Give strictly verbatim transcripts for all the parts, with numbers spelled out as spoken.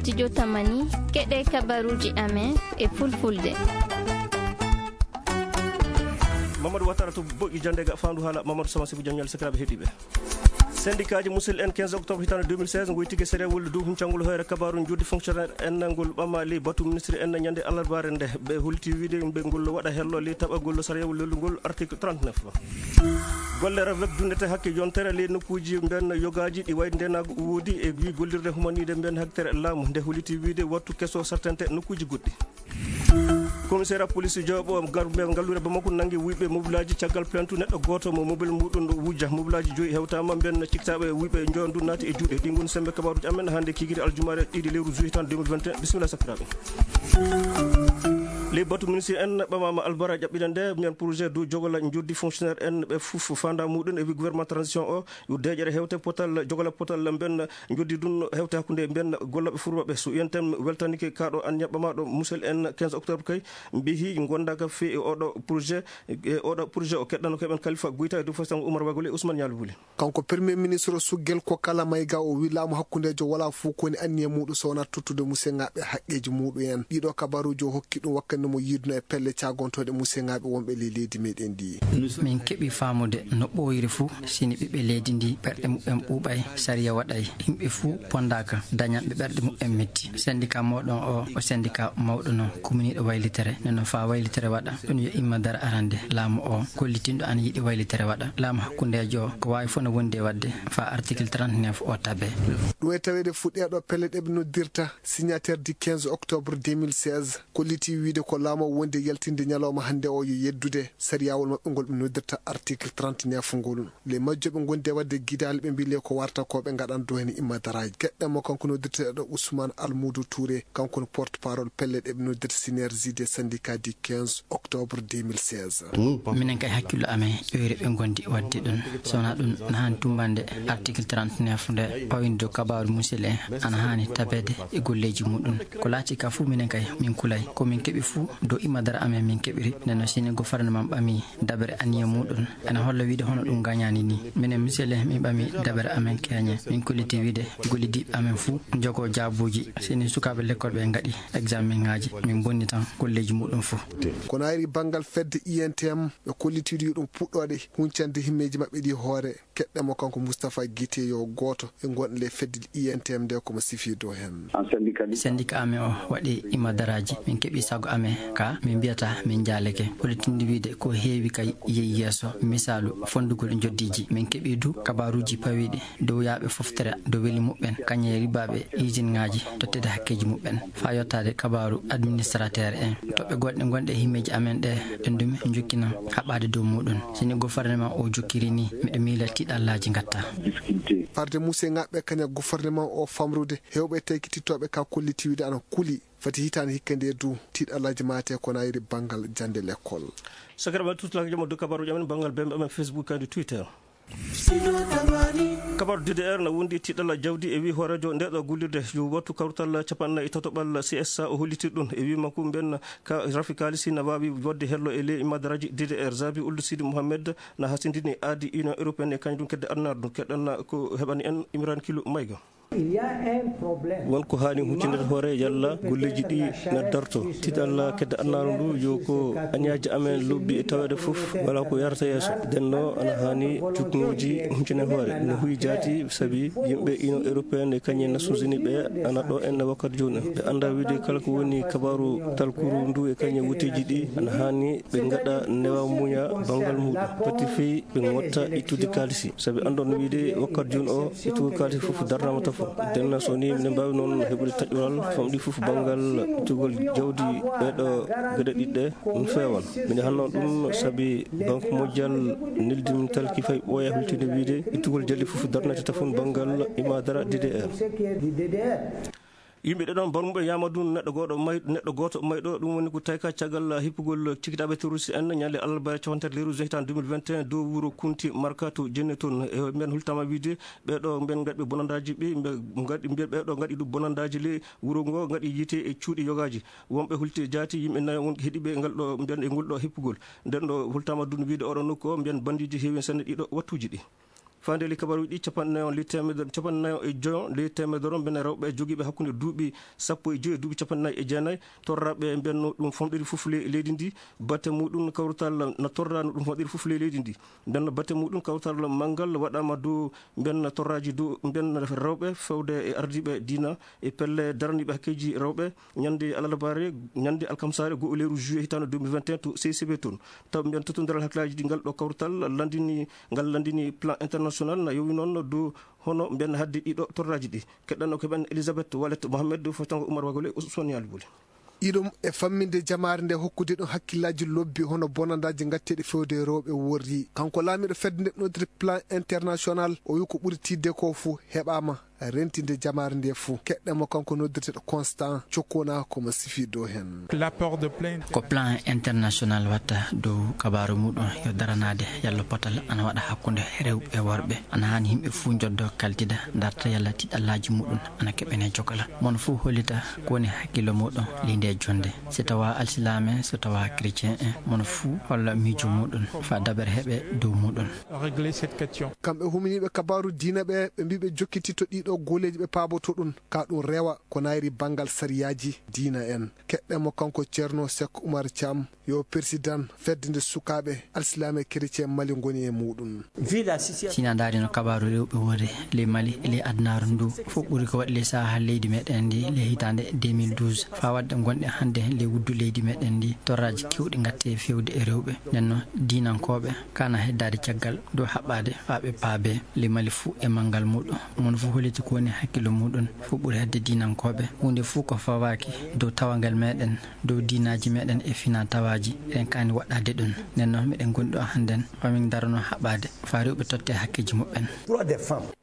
Studio Tamani, keɗe kabaruuji amen e fulfulde. Mamadou Watara to boƴƴi jannde ga faandu haala Mamadou Sama Sibu Jaññal, sakiraaɓe heɗiiɓe. Syndicat ji musidɓe en, quinze octobre hitaande deux mille seize, ngoy tigi sariya walla dow huncangol hoyre kabaaru njuuɗdi fonctionnaire en ngol ɓama ley batu ministre en ñande alarbaare nde. Ɓe holiti wiide ɓe ngol waɗa hello ley taɓagol sariya walla lelugol article trente-neuf. Golle ravek dundete hakke yontere ley nokkuuji mben yogaaji ɗi wayde ndenaagu woodi e wi gollirde humaniide mben haktere laamu nde holiti wiide wattu keso sartante nokkuuji goɗɗi. Commissaire police jooɓo gar-, mbe ngalluure Bamako nangi wuyɓe mobilaaji caggal plainte neɗɗo gooto mo mobile muɗum wujja. Mobilaaji joyi hewtaama mben ciktaaɓe wuyɓe njoyo ndu naati e juuɗe. Ɗi ngoni sembe kabaaruuji amen hannde kikiri aljumaare ɗiɗi lewru juillet tan deux mille vingt et un. Bisimilla sakiraaɓe. Ley batu ministre en ɓamaama albara ƴaɓɓina nde mbiyan projet dow jogola njuuɗdi fonctionnaire en ɓe fof fanda muɗum e wi gouvernement transition o yo deeƴere hewte potal jogola potal mben njuuɗdi ɗum hewte hakkunde mben gollaɓe furbaɓe. So yenten weltanike kaɗo an ɲaɓɓamaɗo musel en quinze octobre kay mbihi gondaka fe e oɗo projet, e oɗo projet o keɗɗano keɓen Kalifa Guyta e dow fo sango Oumar Wagole Ousmane Nialo Wuli. Kanko Premier Ministre o suggel ko kala mayga o wi laamu hakkundeejo wala fof koni anniya muɗum so wonaa tottude museŋaaɓe haqqeeji muɗum en. Ɗiɗo kabaruuji o hokki ɗum wakkati mo yiiduno e pelle caagontooɗe museŋaaɓe wonɓe ley leydi meɗen ndi. Min keɓi faamude no ɓooyri fof sini ɓiɓɓe leydi ndi ɓerɗe muɓɓen ɓuuɓay, sariya waɗay, yimɓe fof pondaaka, dañanɓe ɓerɗe muɓɓen metti. Syndicat moɗon o, o syndicat mawɗo no kuminiiɗo waylitere, neno faa waylitere waɗa, ɗum yo imma dara arande laamu o, gollitinɗo ana yiɗi waylitere waɗa. Laamu hakkundeejo o, ko waawi fof no wondi e waɗde faa article trente-neuf o tabe. Ɗum e taweede fuɗɗeeɗo pelle ɗe ɓe noddirta signature du quinze octobre deux mille seize, kolliti wiide ko laamu o wondi e yaltinde ñalawma hannde o yo yeddude sariyawol maɓɓe ngol ɓe noddirta article trente-neuf ngol. Les majjoɓe gondi e waɗde gidaali ɓe mbi le ko warta ko ɓe ngaɗan do heen imma daraaji. Keɗɗen mo kanko noddirteeɗo Ousmane Almoudou Touré, kanko woni porte-parole pelle ɗe ɓe noddirta Synergie des syndicats du quinze octobre deux mille seize. Minen kay hakkillo amen ƴoyre ɓe gondi waɗde ɗum. So wonaa ɗum na haani tumbande article trente-neuf nde pawinde dow kabaaru musil en ana haani tabeede e golleeji muɗum. Ko laati ka fof minen kay min kulay. Ko min keɓi fof dow imma dara amen min keɓiri. Nden noon sini gouvernement ɓami dabere anniya muɗum. Ene holla wiide hono ɗum gañaani ni. Minen misele min ɓami dabere amen keeñe. Min kolliti wiide gollidiiɓe amen fuu njogoo jaabuuji. Sini sukaaɓe lekkol ɓe ngaɗi examen ŋaaji, min bonni tan golleeji muɗum fuu. Kono ayri banngal fedde I N T M, ɓe kolliti wiide yo ɗum puɗɗoode huncande himmeeji maɓɓe ɗi hoore. Keɗɗen mo kanko Moustapha Guité yo gooto e gonɗo le fedde I N T M nde ko mo sifiido heen. Syndicat amen o waɗi imadaraaji, min keɓi sago amen ka min mbiyata min njaaleke. Holitinde wiide ko heewi kay yehi yeeso, misaalu fondugol njoddiiji. Min keɓi du kabaaruuji pawiiɗi dow yaaɓe foftere dow weli muɓɓen, kañe ribaaɓe usine ŋaaji tottede hakkeeji muɓɓen. Faa yottaade kabaaru administrateur en. Toɓɓe goɗɗe gonɗe e himmeeji amen ɗe, ɗen du min jokkina haɓaade dow muɗum. Sini gouvernement o jokkiri ni, miɗo miila tiiɗallaaji ngatta. Farde museŋaaɓe kaña gouvernement o famrude, heewɓe tawki tittooɓe ka kolliti wiide ana kuli. Fati hitaande hikka nde du, tiiɗallaaji maate ko nayri banngal jannde lekkol. Sakiraɓe tutulaaji jam o dow kabaaruuji amen banngal bembe amen Facebook kadi Twitter. Kabaaru D D R na wondi tiiɗalla jawdi e wi hooreejo nde ɗo gullirde yo wattu kawtal capanɗe nayi e tatoɓal C S A o hollitir ɗum e wi makko mben ka rafi kaalisi na waawi waɗde hello e ley madaraaji D D R. Zabi Ould Sidi Mohamed na hasindini aadi Union Européenne e kañum kedde annar ɗum keɗɗan ko heɓani en Imran Kilo Mayga. Won ko haani huccindere hoore yalla golleeji ɗi na darto. Tiiɗalla kedde annaaro ndu yo ko aniyaaji amen lobbi e taweede fof wala ko yarata yeeso. Denno ana haani juknooji huccindere hoore. No huyi jaati sabi yimɓe Union Européenne e kañum e Nations Unies ɓe ana ɗo en wakkati jooni. Ɓe annda wiide kala ko woni kabaaru talkuru ndu e kañum e wuteeji ɗi ana haani ɓe ngaɗa newa muña banngal muɗum. Fati fii ɓe ngotta ittude kaalisi. Sabi anndon wiide wakkati jooni o ittugol kaalisi fof darnama tafo. Denna so ni minen mbaawi noon heɓude taƴoral famɗi fof banngal ittugol jawdi ɓeeɗo geɗe ɗiɗɗe ɗum feewan. Mine hanno ɗum sabi Banque Mondiale neldi min talki fay ɓooya hultinde wiide ittugol jawdi fof darnata tafon banngal imadara D D R. Yimɓe ɗiɗon barmuɓe yamadu neɗɗo goɗɗo may-, neɗɗo gooto mayɗo, ɗum woni ko tawi ka caggal hippugol cikitaaɓe terroriste en ñande alarba capanɗe tati lewru juin tan deux mille vingt et un dow wuro Kunti Markato Jenne toon. E mbiyan hultama wiide ɓeɗo mbiyan ngaɗi ɓe bonandaaji ɓe, mbe ngaɗi mbiyan ɓeɗo ngaɗi ɗum bonandaaji le wuro ngo ngaɗi yiite e cuuɗi yogaaji. Wonɓe hulti jaati yimɓe nayo won heɗiɓe ngal ɗo mbiyan e ngol ɗo hippugol. Nden ɗo hultama dun wiide oɗo nokku o mbiyan bandiiji heewi sanne ɗiɗo wattuuji ɗi. Faande ley kabaruuji ɗi, capanɗe nayo ley teemedere, capanɗe nayo e joyo ley teemedere mbiyen rewɓe jogiiɓe hakkunde duuɓi sappo e joyi e duuɓi capanɗe nayi e jeenayi, torraaɓe mbiyen no ɗum famɗiri fof ley leydi ndi. Batte muɗum kawrital na torra no ɗum famɗiri fof ley leydi ndi. Mbiyen batte muɗum kawrital manngal waɗaama dow mbiyen torraaji dow mbiyen rewɓe fewde e ardiiɓe diina e pelle daraniiɓe hakkeeji rewɓe. Ñande alarbaare, ñande alkamsaare, goo lewru juillet hitaande deux mille vingt et un to C C B toon. Taw mbiyen tottondiral hakkillaaji ɗi ngal ɗo kawrital lanndini, ngal lanndini plan international na yowi noon dow hono mbiyen haɗde ɗiɗo torraaji ɗi. Keɗɗanno ko men Elisabeth Wallet Mohamed, fotango Oumar Wagole, Ousmane Yali Boli. Iɗum e famminde jamaare nde hokkude ɗum hakkillaaji lobbi hono bonandaaji ngatteeɗi fewde e rewɓe worri. Kanko laamiiɗo fedde nde noddirte plan international, o wi ko ɓuri tiiɗde ko fuu heɓaama rentinde jamaare nde fuu. Keɗɗen mo kanko noddirteeɗo Constant Cokkona ko mo sifi dow heen. L'apport de plein. Ko plan international watta dow kabaaru muɗum yo daranaade yalla potal ana waɗa hakkunde rewɓe e worɓe. Ana haani yimɓe fuu njoddo kaltida, darta yalla tiɗallaaji muɗum ana keɓene jokala. Mon fuu hollita ko woni hakkillo muɗum ley nde jonde. So tawa alsilaame, so tawa chrétien en, mon fuu holla miijo muɗum fa dabere heɓe dow muɗum. Régler cette question. Kamɓe huminiiɓe kabaaru diina ɓe, ɓe mbii ɓe jokkititto ɗiɗo gooleeji ɓe paaboto ɗum, ka ɗum rewa ko nayri banngal sariyaaji diina en. Keɗɗen mo kanko Ceerno Seek Umar Caam, yo président fedde nde sukaaɓe alsilaame chrétien Mali ngoni e muɗum. Si na ndaari no kabaaru rewɓe worre ley Mali e ley adunaaru ndu, fof ɓuri ko waɗi ley saha leydi meɗen ndi ley hitaande deux mille douze, faa waɗde gonɗe hannde ley wuddu leydi meɗen ndi, torraaji kewɗi ngatte fewde e rewɓe. Nden noon, diinankooɓe kana heddaade caggal dow haɓɓaade faa ɓe paabe ley Mali fuu e manngal muɗum. Mon fuu holliti ko woni hakkillo muɗum, fof ɓuri hedde diinankooɓe. Huunde fuu ko fawaaki dow tawangal meɗen, dow diinaaji meɗen e fina tawaaji, eɗen kaani waɗɗaade ɗum. Nden noon, meɗen gondi ɗo hannden, faa min darano haɓɓaade faa rewɓe totte hakkeeji muɓɓen.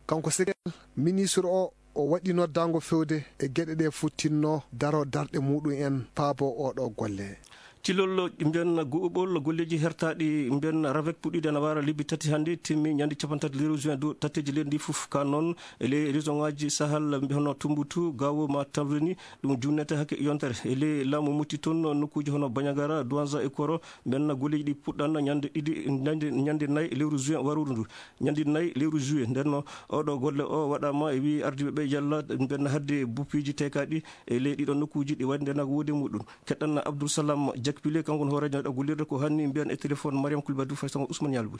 Kanko Sekel, ministre o, o waɗi noddaango fewde e geɗe ɗe fuu tinno daro darɗe muɗum en paabo oɗo golle. Cilol mbiyen guɓɓol golleeji hertaaɗi mbiyen ravec puɗɗiiɗe ana wara lebbi tati hannde, timmi ñande capanɗe tati lewru juin dow tatteeji leydi ndi fof. Ka noon e ley région ŋaaji Sahel mbiyen hono Tumbuktu, Gao ma Tamrini, ɗum junnete hakke yontere. E ley laamu Mopti toon nokkuuji hono Bandiagara, Douentza e Koro, mbiyen golleeji ɗi puɗɗan ñande ɗiɗi, ñande, ñande nayi lewru juin waruuru ndu. Ñande nayi lewru juillet. Nden noon, oɗo golle o waɗaama e wii ardiiɓe ɓe yalla mbiyen haɗde buppiiji teekaaɗi e ley ɗiɗo nokkuuji ɗi waɗi ndenaango wuude muɗum. Keɗɗen Abdoul Salam Diakpile, kanko woni hooreejo ɗo gollirde ko hanni mbiyen e téléphone Mariam Koulibaly Faye Sango Ousmane Yalbou.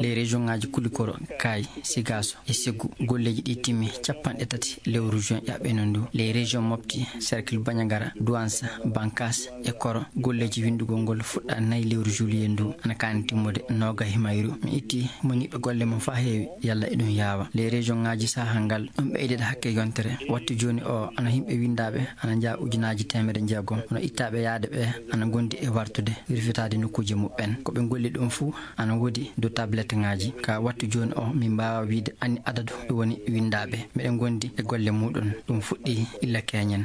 Ley région ŋaaji Kulikoro, Kaayi, Sigaaso e Seggu, golleeji ɗi timmi capanɗe tati lewru juin ƴaɓɓeno ndu. Ley région Mopti, cercle Bandiagara, Douentza, Bankass e Koro, golleeji winndugol ngol fuɗɗa nayi lewru juillet ndu, ana kaani timmude noogayi mayru. Mi itti moniiɓe golle mum faa heewi, yalla eɗum yaawa. Ley région ŋaaji saha ngal, ɗum ɓeydida hakke yontere. Wattu jooni o, ana yimɓe winndaaɓe ana njaha ujunaaji teemedde jeegom. Hono ittaaɓe yaade ɓe ana ngondi e wartude, wirfitaade nokkuuje muɓɓen. Ko ɓe ngolli ɗum fuu ana woodi dow tablette ŋaaji. Ka wattu jooni o, min mbaawa wiide ani adadu ɗum woni winndaaɓe. Meɗen ngondi e golle muɗum. Ɗum fuɗɗi illa keñen.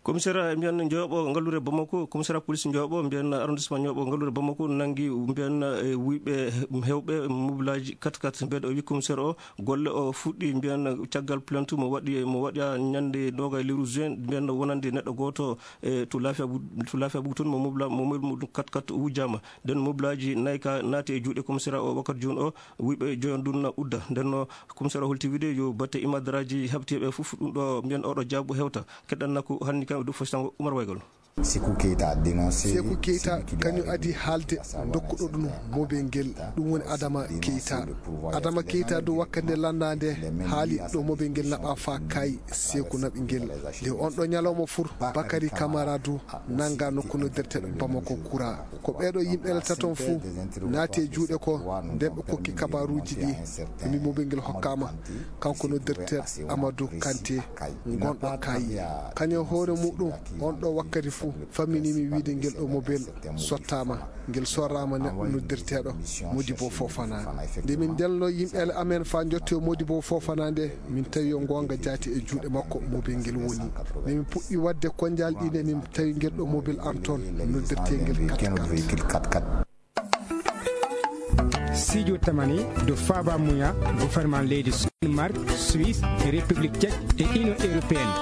Commissariat mbiyen Njooɓo Ngalluure Bamako, commissariat police Njooɓo mbiyen arrondissement Njooɓo Ngalluure Bamako nanngi mbiyen, e, wuyɓe heewɓe mobilaaji quatre quatre. Mbiyen o wi commissaire o golle o fuɗɗi mbiyen caggal plainte mo waɗi, mo waɗi ñande noogayi lewru juin mbiyen wonande neɗɗo gooto, e, to Laafiya Bu-, to Laafiya Bugu toon mo mobila, mo mobile muɗum quatre quatre wujjaama. Nden mobilaaji nayi ka naati e juuɗe commissariat o wakkati jooni o, wuyɓe joyon ɗum na udda. Nden no commissaire o holti wiide yo batte imadaraaji habtiiɓe fof ɗum ɗo mbiyen oɗo jaabu hewta. Keɗɗan nakku hanni kam e dow fof sango Oumar Waygol. Sekou Keita dénoncé. Sekou Keita kañum adi haalde dokkuɗo ɗum mobel ngel, ɗum woni Adama Keita. Adama Keita du wakkati nde lannda nde haali ɗo mobel ngel naɓa fa kay Sekou naɓi ngel. Nde on ɗo ñalawma fur Bakary Camara du nannga nokku noddirteɗo Bamako Kura. Ko ɓeeɗo yimɓe le taton fuu naati e juuɗe ko nden ɓe kokki kabaruuji ɗi. Ɓe mbi mobel ngel hokkaama kanko noddirteɗo Amadou Kanté, ngonɗo Kaayi. Kañum e hoore muɗum, on ɗo wakkati fuu, famminii mi wiide ngel ɗo mobel sottaama, ngel sorraama neɗɗo noddirteeɗo Modibo Fofana. Nde min ndelno yimɓe amen faa njottoo Modibo Fofana nde, min tawi yo ngoonga jaati e juuɗe makko mobel ngel woni. Nde min puɗɗi waɗde konnjaali ɗi nde, min tawi ngel ɗo mobel am toon, noddirtee ngel quatre quatre. Siijo tamani dow faaba muya gouvernement leydi Danemark, Suisse, République Tchèque e Union Européenne.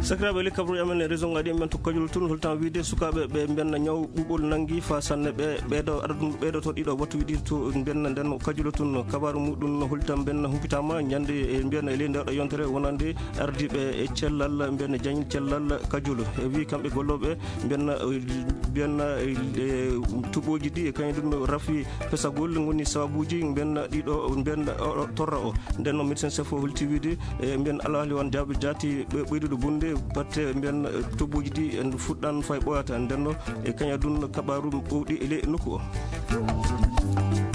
Sakiraaɓe, le kabruuji amen e région ngaɗi men to Kajoul tun, holtan wiide sukaaɓe ɓe mbenna ñaw ɓuɓol nangi fa sanne ɓe, ɓeydo adadun ɓeydo to ɗiɗo wattu wiɗi to mbenna nden Kajoul tun. Kabaaru muɗum holtan mbenna humpitama ñande e mbenna e ley ndeɗo yontere wonande ardiiɓe e cellal mbenna jañil cellal Kajoul. E wi kamɓe gollooɓe mbenna, mbenna e tuɓooji ɗi e kañum ɗum rafi pesagol ngoni sababuuji mbenna ɗiɗo mbenna oɗo torra o. Nden noon médecin chef o holti wiide e mbiyen alhaali on jaaɓi jaati ɓe ɓeydude bonde batte mbiyen tobbuji ɗi en fuɗɗan fay ɓoyata ndenno e kaña ɗum kabaaru ɓowɗi e ley nokku o.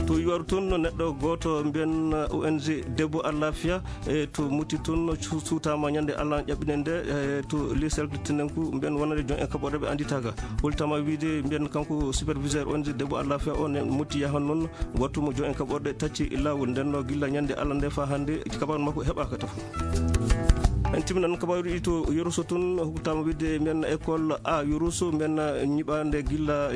To yuwaru toon neɗɗo gooto mbiyen O N G Debbo Allafia e to mutti toon su- suutama ñande Allah ƴaɓɓine nde e to ley selto tinenku mbiyen wonande joom en kaɓorɗe ɓe annditaka. Holtama wiide mbiyen kanko superviseur O N G Debbo Allafia o ne mutti yahan noon wattu mo joom en kaɓorɗe tacci laawol ndenno gilla ñande Allah nde fa hannde kabaaru makko heɓaka tafo. En timminan kabaaruɗi to Yoroso tun huktama wiide mbiyen école A Yoroso mbiyen ñiɓande gilla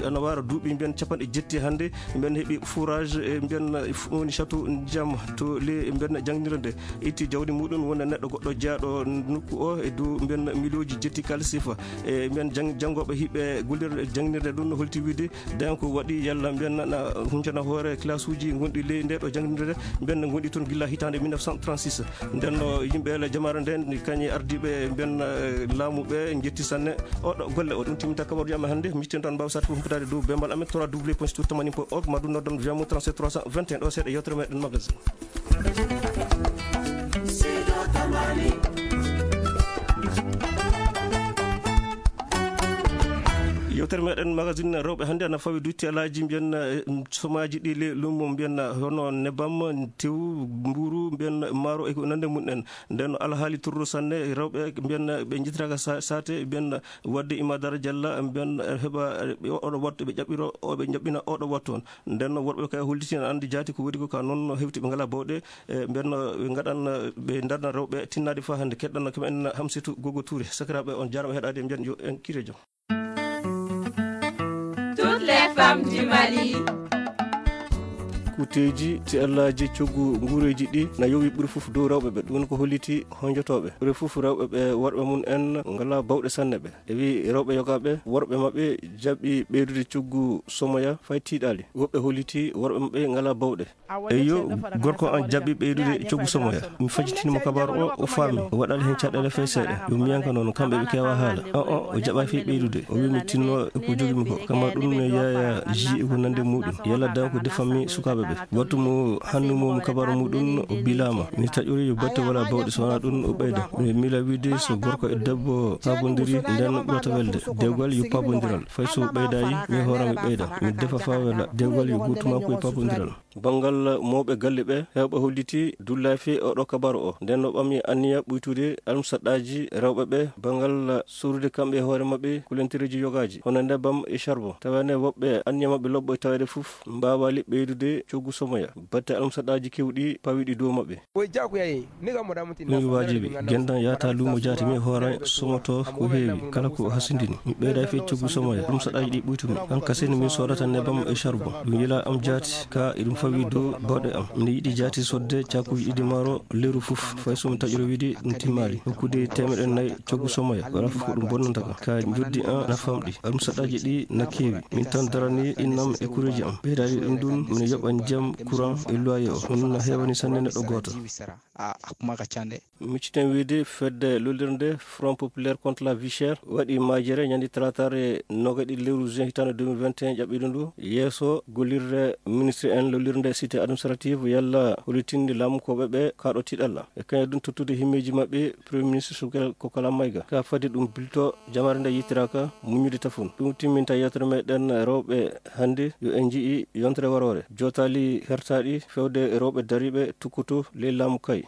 ana wara duuɓi mbiyen capanɗe jetti hannde mbiyen heɓi fourage e mbiyen woni château ndiyam to le mbiyen jangdira nde itti jawdi muɗum wona neɗɗo goɗɗo jeyaɗo nokku o e dow mbiyen milioji jetti kalis sifa e mbiyen jang- janngoɓe hiɓe gollirde jangdirde ɗum no holti wiide daña ko waɗi yalla mbiyen na huncana hoore classe uji gonɗi ley nde ɗo jangdirde mbiyen no gonɗi toon gilla hitande mille neuf cent trente-six. Nden no yimɓe ele jamaare nden kañe ardiɓe mbiyen eh, laamu ɓe jetti sanne oɗo golle o ɗum timminta kabaruji amen hannde miccen tan mbaw sat ko humpitade dow bembal amen trois w point sitour tamani point org ma ɗum noddon via mo trente-sept trois cent vingt et un ɗo seeɗa yewtere meɗen magasin. Yewtere meɗen magasin rewɓe hannde ana fawi dutti alaaji mbiyen eh, somaaji ɗi le lumo mbiyen hono nebam tew mburu mbiyen maaro e ko nande mum en nden alhaali turro sanne rewɓe mbiyen ɓe jittiraka sa- sate mbiyen wadde imadara jalla mbiyen heɓa eh, oɗo wattu ɓe ƴaɓɓiro oɓe ƴaɓɓina oɗo wattu on nden worɓe kay hollitina andi jaati ko woni ko ka noon hewti ɓe ngala bawɗe e mbiyen ɓe ngaɗan ɓe darna rewɓe tinnaade fa hannde keɗɗan kam en hamsitu gogo tuure sakiraaɓe on jarama heɗade mbiyen yo en kiire joom. Toutes les femmes du Mali. Kuteeji ti allaaji coggu nguureeji ɗi na yowi ɓuri fof dow rewɓe ɓe ɗum ko holliti honjotooɓe ɓuri fof rewɓe ɓe worɓe mum en ngala bawɗe sanne ɓe e wi rewɓe yogaaɓe worɓe maɓɓe jaɓi ɓeydude coggu somoya fay tiiɗaali woɓɓe holliti worɓe maɓɓe ngala bawɗe. Eyo, gorko an jaɓi ɓeydude coggu somoya mi fajitini mo kabaru o o faami o waɗali heen caɗeele fay seeɗa yo miyanka noon kamɓe ɓe keewa haala o o o jaɓa fii ɓeydude o wi mi tinno e ko jogimi ko kama ɗum mi yaya ji e ko nande muɗum yalla dan ko defammi sukaɓe ɓe wattu mo hannu mo mo kabaru muɗum o bilama mi taƴori yo batte wala bawɗe so wona ɗum o ɓeyda mi mila wiide so gorko e debbo pabodiri nden ɓurata welde dewgal yo pabodiral fay so ɓeydayi mi hoorami ɓeyda mi defa fa wela dewgal yo gotuma ko e pabodiral. Banngal mawɓe galle ɓe, heewɓe holliti dullaafi oɗo kabaru o. Nden no ɓami anniya ɓuytude almusaɗɗaaji rewɓe ɓe banngal sorude kamɓe e hoore maɓɓe kulentereeji yogaaji, hono nebam e charbon. Tawa ne woɓɓe anniya maɓɓe lobbo e taweede fof mbaawaali ɓeydude coggu somoya batte almusaɗɗaaji keewɗi pawiɗi dow maɓɓe. Ɗum yo waajibi, genndan yahata luumo jaati mi hoora somoto ko heewi, kala ko hasindini. Mi ɓeyda fii coggu somoya, ɗum saɗaaji ɗi ɓuytumi. An kasen min soodata nebam e charbon. Ɗum yila am jaati, ka eɗum fawi dow bawɗe am. Miɗo yiɗi jaati sodde caakuuji ɗiɗi maaro leru fof, fay so mi taƴoro wiide ɗum timmaali. Hokkude teemeɗɗe nayi coggu somoya, wala fof ko ɗum bonnanta kam. Ka njoddi an na famɗi, ɗum saɗaaji ɗi na keewi. Min tan darani innam e kureeji am. Ɓeydaade ɗum ɗum, miɗo yoɓa ndiyam, courant e loyer o. Ɗum na heewani sanne neɗɗo gooto. A, a kuma ka ca de. Micciten wiide fedde lollirde Front Populaire contre la Vie Chère waɗi majere ñande talaataare nogaɗi lewru juin hitaande deux mille vingt et un ƴaɓɓiɗo ndu yeeso gollirde ministre en lollirde cité administrative yalla hollitinde laamu ko ɓe ɓe kaɗo tiɗalla e kañum ɗum tottude himmeeji maɓɓe premier ministre Soukel Kokala Maïga ka fadi ɗum bilto jamaare nde yittiraka muññude tafon ɗum timminta yewtere meɗen rewɓe hannde yo en njii yontere waroore jootaali hertaaɗi fewde rewɓe dariiɓe tukkutu ley laamu kay.